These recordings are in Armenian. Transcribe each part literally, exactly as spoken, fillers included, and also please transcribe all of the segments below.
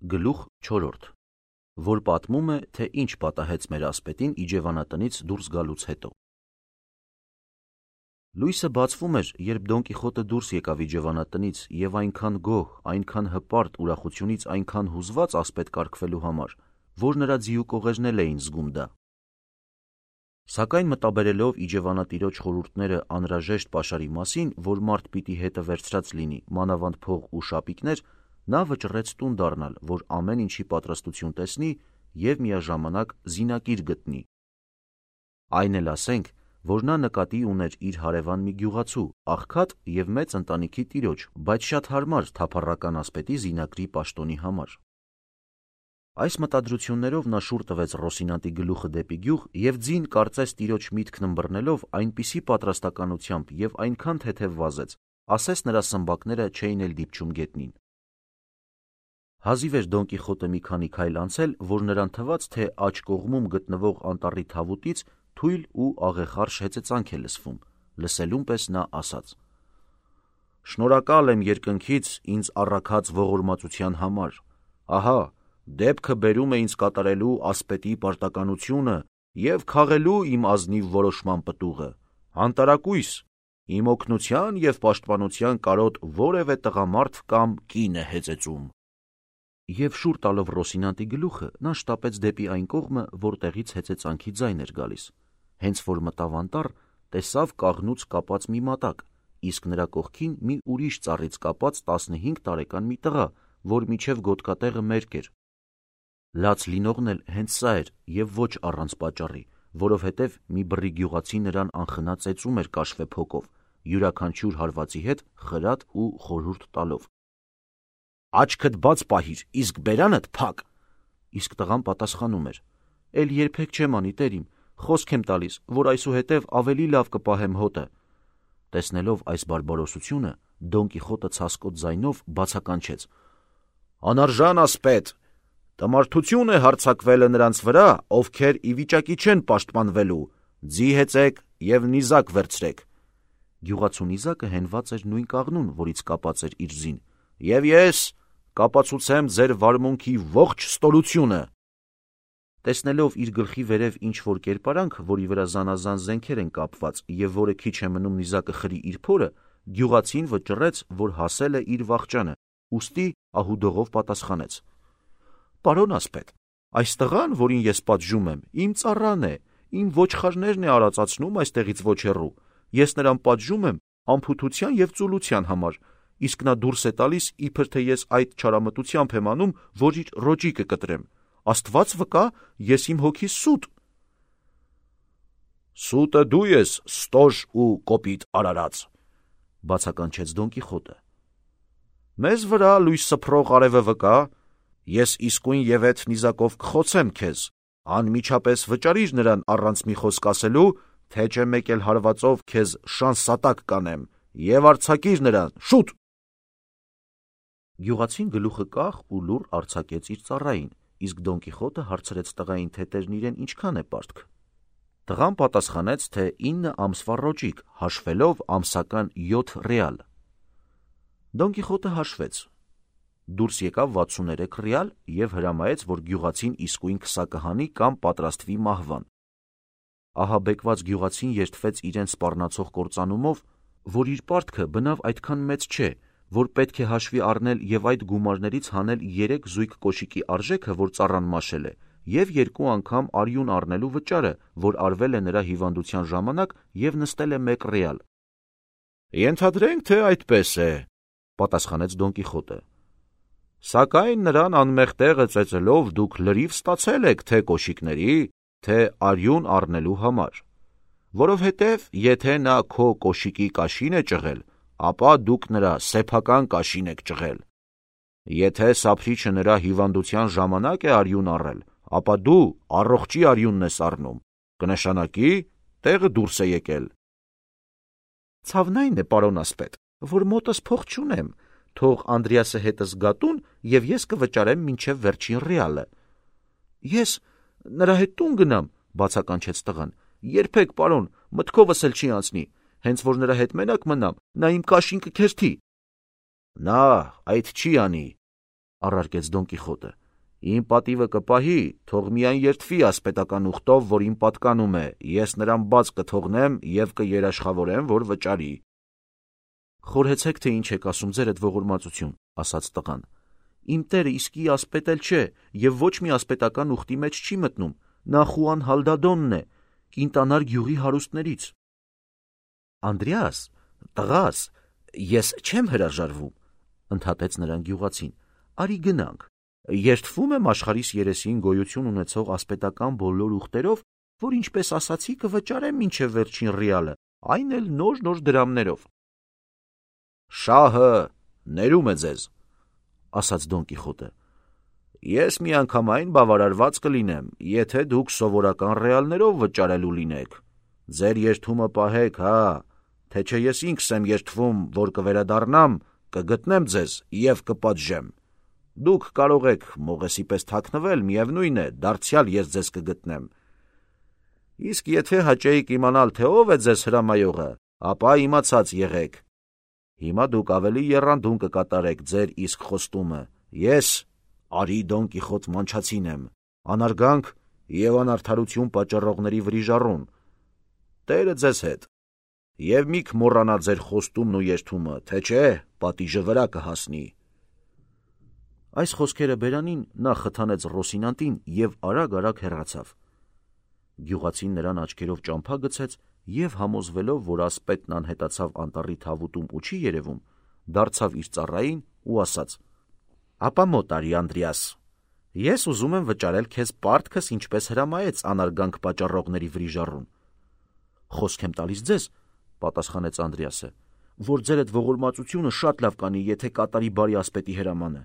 Գլուխ չորրորդ, որ պատմում է, թե ինչ պատահեց մեր ասպետին իջևանատնից դուրս գալուց հետո։ Լույսը բացվում էր, երբ Դոն Կիխոտը դուրս եկավ իջևանատնից և այնքան գոհ, այնքան հպարտ, ուրախությունից այնքան հուզված ասպետ կարգվելու համար, որ նրա ձիու կողերն էին զգում դա։ Սակայն մտաբերելով իջևանատիրոջ խորհուրդները անհրաժեշտ պաշարի մասին, որ մարդ պիտի հետը վերցրած լինի, մանավանդ փող ու շապիկներ, նա վճռեց տուն դառնալ, որ ամեն ինչի պատրաստություն տեսնի և միաժամանակ զինակիր գտնի։ Այն էլ ասենք, որ նա նկատի ուներ իր հարևան մի գյուղացու, աղքատ և մեծ ընտանիքի տիրոջ, բայց շատ հարմար թափառական ասպետի զինակրի պաշտոնի համար։ Այս մտադրություններով նա շուռ տվեց Ռոսինանտի գլուխը դեպի գյուղ և ձին կարծես տիրոջ միտքն ըմբռնելով այնպիսի պատրաստականությամբ և այնքան թեթև վազեց, ասես նրա սմբակները չէին էլ դիպչում գետնին։ Հազիվ էր Դոն Կիխոտը մի քանի քայլ անցել, որ նրան թվաց, թե աջ կողմում գտնվող անտառի թավուտից թույլ ու աղեխարշ հեծեծանք է լսվում, լսելուն պես նա ասաց. «Շնորհակալ եմ երկնքից ինձ առաքած ողորմածության համար, ահա, դեպքը բերում է ինձ կատարելու ասպետի պարտականությունը և քաղելու իմ ազնիվ որոշման պտուղը, անտարակույս, իմ օգնության և պաշտպանության կարոտ որևէ տղամարդ կամ կին է հեծեծում»։ Եվ շուռ տալով Ռոսինանտի գլուխը, նա շտապեց դեպի այն կողմը, որտեղից հեծեծանքի ձայն էր գալիս։ Հենց որ մտավ անտառ, տեսավ կաղնուց կապած մի մատակ, իսկ նրա կողքին մի ուրիշ ծառից կապած տասնհինգ տարեկան մի տղա, որ մինչև գոտկատեղը մերկ էր։ Լաց լինողն էլ հենց սա էր և ոչ առանց պատճառի, որովհետև մի բռի գյուղացի նրան անխնա ծեծում էր կաշվե փոկով, յուրաքանչյուր հարվածի հետ խրատ ու խորհուրդ տալով. «Աչքդ բաց պահիր, իսկ բերանդ փակ»։ Իսկ տղան պատասխանում էր. «Էլ երբեք չեմ անի, տեր իմ, խոսք եմ տալիս, որ այսուհետև ավելի լավ կպահեմ հոտը»։ Տեսնելով այս բարբարոսությունը, Դոն Կիխոտը ցասկոտ ձայնով բացականչեց. «Անարժան ասպետ, տմարդություն է հարձակվելը նրանց վրա, ովքեր ի վիճակի չեն պաշտպանվելու, ձի հեծեք և նիզակ վերցրեք»։ Գյուղացու նիզակը հենված էր նույն կաղնուն, որից կապած էր իր ձին, և ես կապացուցեմ ձեր վարմունքի ողջ ստորությունը։ Տեսնելով իր գլխի վերև ինչ-որ կերպարանք, որի վրա զանազան զենքեր են կապված և որը քիչ է մնում նիզակը խրի իր փորը, գյուղացին վճռեց, որ հասել է իր վախճանը, ուստի ահուդողով պատասխանեց. «Պարոն ասպետ, այս տղան, որին ես պատժում եմ, իմ ծառան է, իմ ոչխարներն է արածացնում այստեղից ոչ հեռու, ես նրան պատժում եմ անփութության և ծուլության համար, իսկ նա դուրս է տալիս, իբր թե ես այդ չարամտությամբ եմ անում, որ իր ռոճիկը կտրեմ, Աստված վկա, ես իմ հոգիս սուտ»։ «Սուտը դու ես, ստոր ու կոպիտ արարած», բացականչեց Դոն Կիխոտը։ «Մեզ վրա լույս սփռող արևը վկա, ես իսկույն և էդ նիզակով կխոցեմ քեզ, անմիջապես վճարիր նրան առանց մի խոսք ասելու, թե չէ մեկ էլ հարվածով քեզ շանսատակ կանեմ, և արձակիր նրան, շուտ»։ Գյուղացին գլուխը կախ ու լուռ արձակեց իր ծառային, իսկ Դոն Կիխոտը հարցրեց տղային, թե տերն իրեն ինչքան է պարտք։ Տղան պատասխանեց, թե ինը ամսվա ռոճիկ, հաշվելով ամսական յոթ ռեալ։ Դոն Կիխոտը հաշվեց, դուրս եկավ վաթսուներեք ռեալ և հրամայեց, որ գյուղացին իսկույն քսա կհանի կամ պատրաստվի մահվան։ Ահաբեկված գյուղացին երդվեց իրեն սպառնացող կործանումով, որ իր պարտքը բնավ այդքան մեծ չէ, որ պետք է հաշվի առնել և այդ գումարներից հանել երեք զույգ կոշիկի արժեքը, որ ծառան մաշել է, և երկու անգամ արյուն առնելու վճարը, որ արվել է նրա հիվանդության ժամանակ և նստել է մեկ ռեալ։ «Ենթադրենք, թե այդպես է», պատասխանեց Դոն Կիխոտը։ «Սակայն նրան անմեղ տեղը ծեծելով դուք լրիվ ստացել եք թե կոշիկների, թե արյուն առնելու համար, որովհետև եթե նա քո կոշիկի կաշին է ճղել, ապա դուք նրա սեփական կաշին եք ճղել։ Եթե սափրիչը նրա հիվանդության ժամանակ է արյուն առել, ապա դու առողջի արյունն ես առնում, կնշանակի տեղը դուրս է եկել»։ «Ցավն այն է, պարոն ասպետ, որ մոտս փող չունեմ, թող Անդրեասը հետս գա տուն, և ես կվճարեմ մինչև վերջին ռեալը»։ «Ես նրա հետ տուն գնամ», բացականչեց տղան, «երբեք, պարոն, մտքովս էլ չի անցնի, հենց որ նրա հետ մենակ մնամ, նա իմ կաշին կքերթի»։ «Նա այդ չի անի», առարկեց Դոն Կիխոտը։ Իմ պատիվը կպահի, թող միայն երդվի ասպետական ուխտով, որ իմ պատկանում է, ես նրան բաց կթողնեմ եւ կերաշխավորեմ, որ վճարի։ Խորհեցեք, թե ինչ եք ասում ձեր այդ ողորմածություն, ասաց տղան։ Իմ տերը իսկի ասպետ էլ չէ եւ ոչ մի ասպետական ուխտի մեջ չի մտնում, նա Խուան Հալդադոնն է, Կինտանար գյուղի հարուստներից։ Անդրեաս, տղաս, ես չեմ հրաժարվում, ընդհատեց նրան գյուղացին։ Արի գնանք։ Երդվում եմ աշխարհիս երեսին գոյություն ունեցող ասպետական բոլոր ուխտերով, որ ինչպես ասացի կվճարեմ մինչև վերջին ռիալը, այն էլ նոր-նոր դրամներով։ Շահը ներում է ձեզ, ասաց Դոն Կիխոտը։ Ես միանգամայն բավարարված կլինեմ, եթե դուք սովորական ռեալներով վճարելու լինեք։ Ձեր երդումը պահեք, հա, թե չէ ես ինքս եմ երդվում, որ կվերադառնամ, կգտնեմ ձեզ եւ կպատժեմ։ Դուք կարող եք մողեսի պես թաքնվել, միևնույն է, դարձյալ ես ձեզ կգտնեմ։ Իսկ եթե հաճեիք իմանալ, թե ով է ձեզ հրամայողը, ապա իմացած եղեք։ Հիմա դուք ավելի եռանդուն կկատարեք ձեր իսկ խոստումը։ Ես Արի Դոն Կիխոտ մանչացին եմ, անարգանք եւ անարդարություն պատճառողների վրիժառուն։ Տերը ձեզ հետ։ Եվ մի կմոռանա ձեր խոստումն ու երդումը, թե չէ, պատիժը վրա կհասնի։ Այս խոսքերը բերանին նա խթանեց Ռոսինանտին եւ արագ-արագ հեռացավ։ Գյուղացին նրան աչքերով ճամփա գցեց եւ համոզվելով, որ ասպետն անհետացավ անտառի թավուտում ու չի երևում, դարձավ իր ծառային ու ասաց. Ապա մոտ արի, Անդրեաս, ես ուզում եմ վճարել քեզ պարտքս, ինչպես հրամայեց անարգանք պատճառողների վրիժառուն։ Խոսք եմ տալիս ձեզ, պատասխանեց Անդրեասը, որ ձեր այդ ողորմածությունը շատ լավ կանի, եթե կատարի բարի ասպետի հրամանը։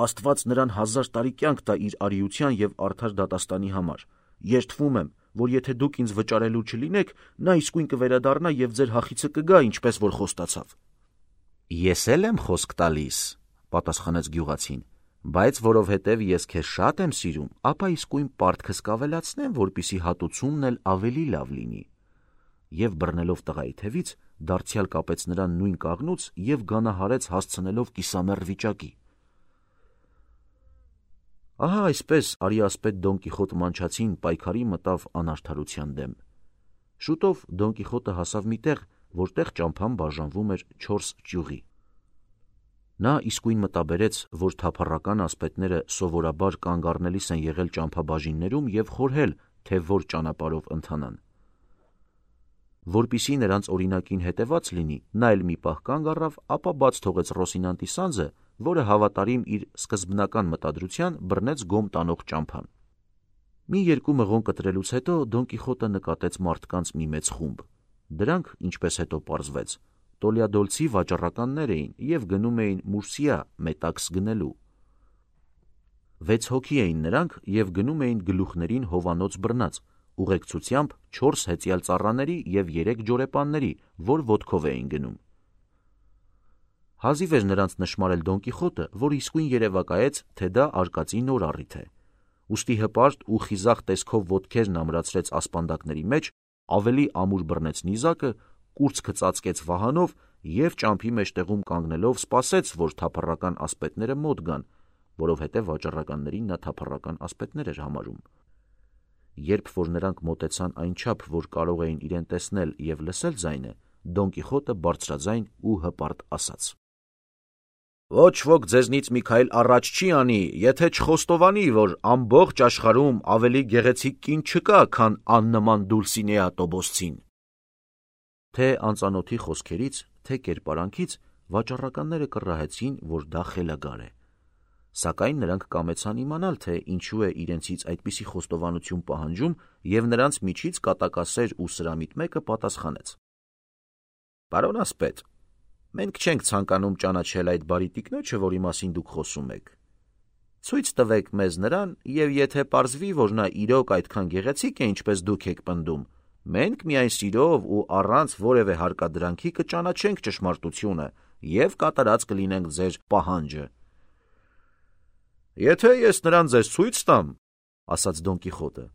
Աստված նրան հազար տարի կյանք տա իր արիության եւ արդար դատաստանի համար։ Երդվում եմ, որ եթե դուք ինձ վճարելու չլինեք, նա իսկույն կվերադառնա եւ ձեր հախիցը կգա, ինչպես որ խոստացավ։ Ես էլ եմ խոսք տալիս, պատասխանեց գյուղացին, բայց որովհետև ես քեզ շատ եմ սիրում, ապա իսկույն պարտքս կավելացնեմ, որպիսի հատուցումն էլ ավելի լավ լինի։ Եվ բռնելով տղայի թևից, դարձյալ կապեց նրան նույն կաղնուց եւ գանահարեց հասցնելով կիսամեռ վիճակի։ Ահա այսպես արի ասպետ Դոն Կիխոտ մանչացին պայքարի մտավ անարդարության դեմ։ Շուտով Դոն Կիխոտը հասավ մի տեղ, որտեղ ճամփան բաժանվում էր չորս ճյուղի։ Նա իսկույն մտաբերեց, որ թափառական ասպետները սովորաբար կանգ առնելիս են եղել ճամփաբաժիններում եւ խորհել, թե որ ճանապարհով ընթանան։ Որպիսի նրանց օրինակին հետևած լինի, նա էլ մի պահ կանգ առավ, ապա բաց թողեց Ռոսինանտի սանձը, որը հավատարիմ իր սկզբնական մտադրության բռնեց գոմ տանող ճամփան։ Մի երկու մղոն կտրելուց հետո Դոն Կիխոտը նկատեց մարդկանց մի մեծ խումբ։ Դրանք, ինչպես հետո պարզվեց, Տոլյադոլցի վաճառականներ էին եւ գնում էին Մուրսիա մետաքս գնելու։ Վեց հոգի էին նրանք եւ գնում էին գլուխներին հովանոց բռնած, ուղեկցությամբ չորս հեծյալ ծառաների եւ երեք ջորեպանների, որ ոտքով էին գնում։ Հազիվ էր նրանց նշմարել Դոն Կիխոտը, որ իսկույն երևակայեց, թե դա արկածի նոր առիթ է։ Ուստի հպարտ ու խիզախ տեսքով ոտքերն ամրացրեց ասպանդակների մեջ, ավելի ամուր բռնեց նիզակը, կուրծքը ծածկեց վահանով եւ ճամփի մեջտեղում կանգնելով սպասեց, որ թափառական ասպետները մոտ գան, որովհետեւ վաճառականներին նա թափառական ասպետներ էր համարում։ Երբ որ նրանք մոտեցան այնչափ, որ կարող էին իրեն տեսնել եւ լսել ձայնը, Դոն Կիխոտը բարձրաձայն ու հպարտ ասաց. Ոչ ոք ձեզնից մի քայլ առաջ չի անի, եթե չխոստովանի, որ ամբողջ աշխարհում ավելի գեղեցիկ կին չկա, քան աննման Դուլսինեա Տոբոսցին։ Թե անծանոթի խոսքերից, թե կերպարանքից վաճառականները կռահեցին, որ դա խելագար է։ Սակայն նրանք կամեցան իմանալ, թե ինչու է իրենցից այդպիսի խոստովանություն պահանջում, եւ նրանց միջից կատակասեր ու սրամիտ մեկը պատասխանեց. Պարոն ասպետ, մենք չենք ցանկանում ճանաչել այդ բարի տիկնոջը, որի մասին դուք խոսում եք։ Ցույց տվեք մեզ նրան, եւ եթե պարզվի, որ նա իրոք այդքան գեղեցիկ է, ինչպես դուք եք պնդում, մենք միայն սիրով ու առանց որևէ հարկադրանքի կճանաչենք ճշմարտությունը եւ կատարած կլինենք ձեր պահանջը։ Եթե ես նրան ձեզ ցույց տամ, ասաց Դոն Կիխոտը,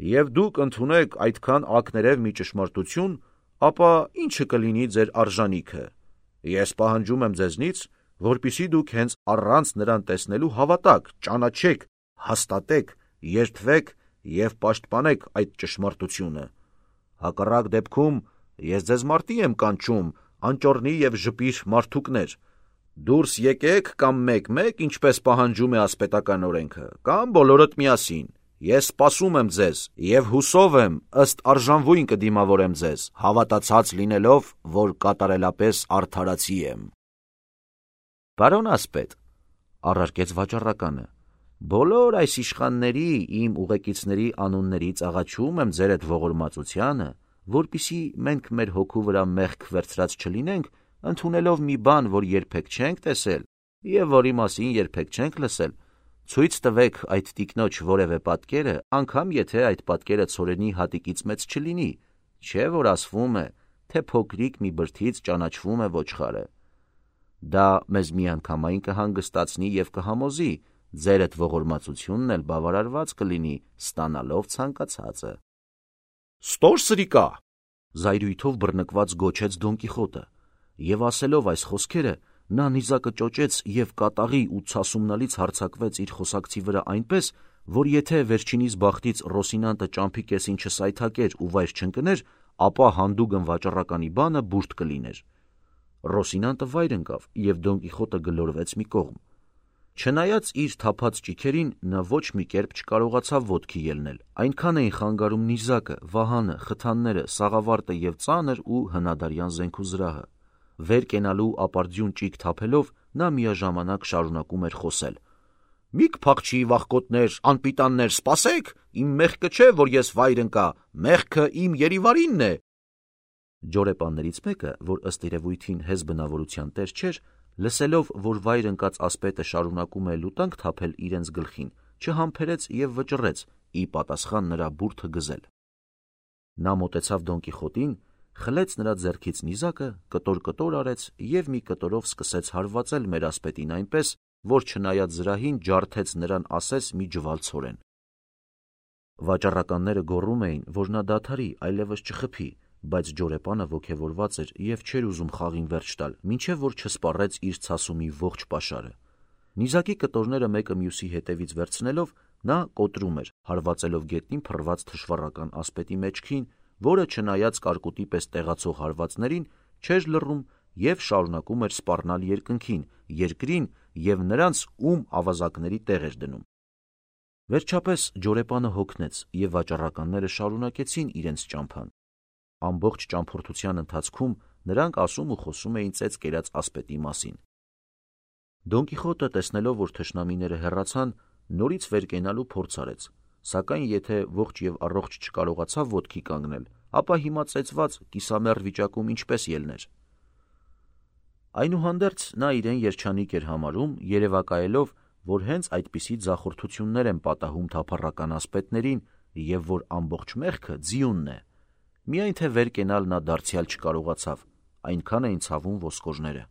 եւ դուք ընդունեք այդքան ակներև մի ճշմարտություն, ապա ինչը կլինի ձեր արժանիքը։ Ես պահանջում եմ ձեզնից, որpիսի դուք հենց առանց նրան տեսնելու հավատաք, ճանաչեք, հաստատեք, երդվեք և պաշտպանեք այդ ճշմարտությունը։ Հակառակ դեպքում ես ձեզ մարտի եմ կանչում, անճոռնի և ժպիր մարդուկներ։ Դուրս եկեք կամ մեկ-մեկ, ինչպես պահանջում է ասպետական օրենքը, կամ բոլորդ միասին։ Ես սպասում եմ ձեզ և հուսով եմ ըստ արժանվույն կդիմավորեմ ձեզ, հավատացած լինելով, որ կատարելապես արդարացի եմ։ Պարոն ասպետ, առարկեց վաճառականը, բոլոր այս իշխանների, իմ ուղեկիցների անուններից աղաչում եմ ձեր այդ ողորմածությանը, որպեսզի մենք մեր հոգու վրա մեղք վերցրած չլինենք, ընդունելով մի բան, որ երբեք չենք տեսել և որի մասին երբեք չենք լսել, ցույց տվեք այդ տիկնոջ որևէ պատկերը, անգամ եթե այդ պատկերը ցորենի հատիկից մեծ չլինի, չէ՞ որ ասվում է, թե փոքրիկ մի բրդից ճանաչվում է ոչխարը։ Դա մեզ միանգամայն կհանգստացնի և կհամոզի, ձեր այդ ողորմածությունն էլ բավարարված կլինի, ստանալով ցանկացածը։ Ստոր սրիկա, զայրույթով բռնկված գոչեց Դոն Կիխոտը, և ասելով այս խոսքերը, նա նիզակը ճոճեց և կատաղի ու ցասումնալից հարձակվեց իր խոսակցի վրա այնպես, որ եթե վերջինիս բախտից Ռոսինանտը ճամփի կեսին չսայթաքեր ու վայր չընկներ, ապա հանդուգն վաճառականի բանը բուրդ կլիներ։ Ռոսինանտը վայր ընկավ, և Դոն Կիխոտը գլորվեց մի կողմ։ Չնայած իր թափած ճիգերին, նա ոչ մի կերպ չկարողացավ ոտքի ելնել, այնքան էին խանգարում նիզակը, վահանը, խթանները, սաղավարտը և ծանր ու հնադարյան զենքուզրահը։ Վեր կենալու ապարդյուն ճիգ թափելով, նա միաժամանակ շարունակում էր խոսել. «Մի կփախչի, վախկոտներ, անպիտաններ, սպասեք, իմ մեղքը չէ, որ ես վայր ընկա, մեղքը իմ երիվարինն է»։ Ջորեպաններից մեկը, որ ըստ երևույթին հեզ բնավորության տեր չէր, լսելով, որ վայր ընկած ասպետը շարունակում է լուտանք թափել իրենց գլխին, չհամբերեց և վճռեց ի պատասխան նրա բուրդը գզել։ Նա մոտեցավ Դոն Կիխոտին, խլեց նրա ձեռքից նիզակը, կտոր-կտոր արեց և մի կտորով սկսեց հարվածել մեր ասպետին այնպես, որ չնայած զրահին ջարդեց նրան ասես մի ջվալ ցորեն։ Վաճառականները գոռում էին, որ նա դադարի, այլևս չխփի, բայց ջորեպանը ոգևորված էր և չէր ուզում խաղին վերջ տալ, մինչև որ չսպառեց իր ցասումի ողջ պաշարը։ Նիզակի կտորները մեկը մյուսի հետևից վերցնելով, նա կոտրում էր, հարվածելով գետնին փռված թշվառական ասպետի մեջքին, որը չնայած կարկուտի պես տեղացող հարվածներին, չէր լռում և շարունակում էր սպառնալ երկնքին, երկրին և նրանց, ում ավազակների տեղ էր դնում։ Վերջապես ջորեպանը հոգնեց, և վաճառականները շարունակեցին իրենց ճամփան։ Ամբողջ ճամփորդության ընթացքում նրանք ասում ու խոսում էին ծեծ կերած ասպետի մասին։ Դոն Կիխոտը, տեսնելով, որ թշնամիները հեռացան, նորից վեր կենալու փորձ արեց, սակայն եթե ողջ և առողջ չկարողացավ ոտքի կանգնել, ապա հիմա ծեծված, կիսամեռ վիճակում ինչպես ելներ։ Այնուհանդերձ նա իրեն երջանիկ էր համարում, երևակայելով, որ հենց այդպիսի ձախորդություններ են պատահում թափառական ասպետներին և որ ամբողջ մեղքը ձիունն է։ Միայն թե վեր կենալ նա դարձյալ չկարողացավ, այնքան էին ցավում ոսկորները։